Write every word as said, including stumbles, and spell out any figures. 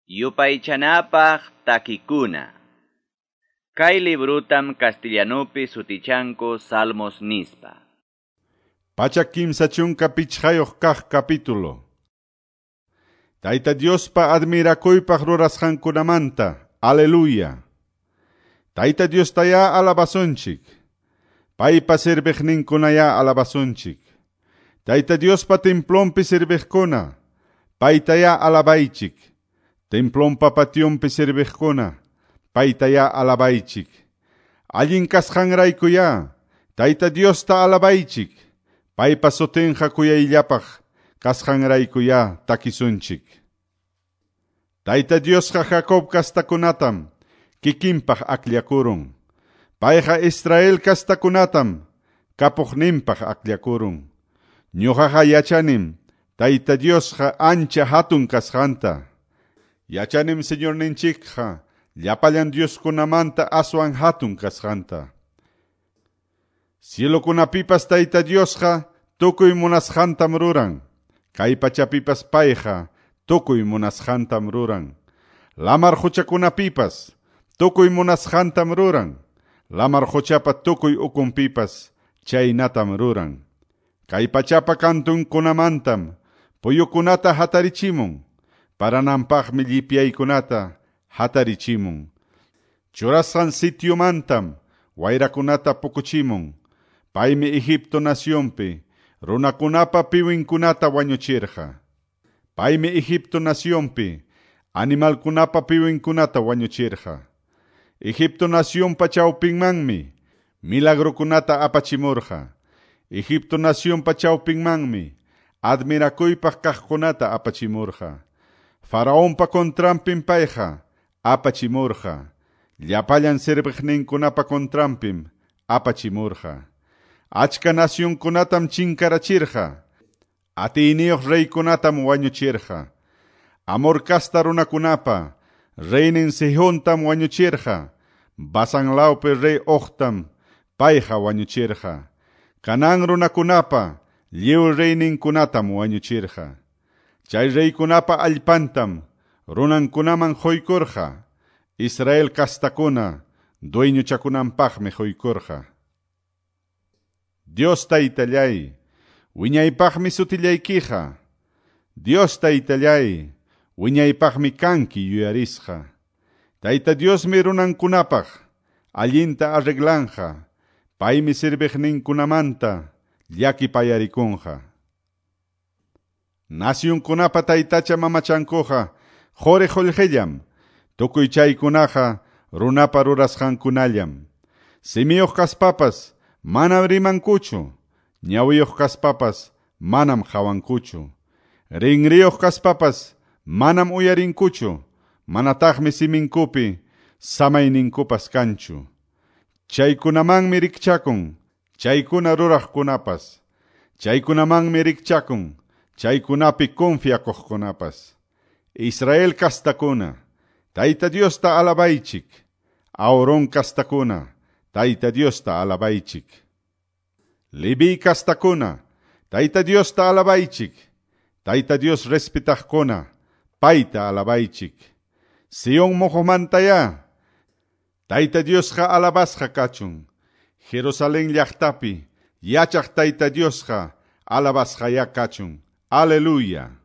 Yupaychanapaq takikuna. Kay librutam castellanupi sutichanku Salmos nispa. Pachak kimsa chunka pichqayuq kaq capítulo. Tayta Diospa admirakuypaq rurasqankunamanta. Aleluya. Tayta Diostayá alabasunchik. Paypa serviqninkunayá alabasunchik. Tayta Diospa templonpi serviqkuna, paytayá alabaychik. Templonpa pationpi serviqkuna, paytayá alabaychik. Allin kasqanraykuyá, Tayta Diosta alabaychik. Paypa sutinqa kuyayllapaq kasqanraykuyá takisunchik. Tayta Diosqa Jacob kastakunatam kikinpaq akllakurun. Payqa Israel kastakunatam kapuqninpaq akllakurun. Ñuqaqa yachanim Tayta Diosqa ancha hatun kasqanta. Yachanim Señorninchikqa llapallan Dioskunamanta aswan hatun kasqanta. Cielokunapipas Tayta Diosqa tukuy munasqantam ruran. Kay pachapipas payqa tukuy munasqantam ruran. Lamar quchakunapipas tukuy munasqantam ruran. Lamar quchapa tukuy ukunpipas chaynatam ruran. Kay pachapa kantunkunamantam puyukunata hatarichimun. Parananpaqmi llipyaykunata hatarichimun. Churasqan sitiomantam wayrakunata pukuchimun. Paymi Egipto nacionpi runakunapa piwinkunata wañuchirqa. Paymi Egipto nacionpi animalkunapa piwinkunata wañuchirqa. Egipto nacionpa chawpinmanmi milagrokunata apachimurqa. Egipto nacionpa chawpinmanmi admirakuypaq kaqkunata apachimurqa. Faraonpa contranpim payqa apachimurqa. Llapallan serviqninkunapa contranpim apachimurqa. Achka nacionkunatam chinkarachirqa. Atiyniyuq reykunatam wañuchirqa. Amor kasta runakunapa reynin Sihontam wañuchirqa. Basan lawpi rey Ogtam payqa wañuchirqa. Canaán runakunapa lliw reyninkunatam wañuchirqa. Chay reykunapa allpantam runankunaman quykurqa. Israel kastakuna dueñochakunanpaqmi quykurqa. Dios Taytallay, wiñaypaqmi sutillaykiqa. Dios Taytallay, wiñaypaqmi kanki yuyarisqa. Tayta Diosmi runankunapaq allinta arreglanja. Paymi serviqninkunamanta llakipayarikunqa. Nacionkunapa taytacha mamachankuqa quri qullqillam, tukuy chaykunaqa runapa rurasqankunallam. Simiyuq kaspapas manam rimankuchu, ñawiyuq kaspapas manam qawankuchu. Rinriyuq kaspapas manam uyarinkuchu, manataqmi siminkupi samayninkupas kanchu. Chaykunamanmi rikchakun, chaykuna ruraqkunapas. Chaykunamanmi rikchakun, chaykunapi confiakuqkunapas. Israel kastakuna, Tayta Diosta alabaychik. Aarón kastakuna, Tayta Diosta alabaychik. Leví kastakuna, Tayta Diosta alabaychik. Tayta Dios respetaqkuna, payta alabaychik. Sion moqomantayá, Tayta Diosqa alabasqa kachun. Jerusalén llaqtapi yachaq Tayta Diosqa alabasqayá kachun. Aleluya.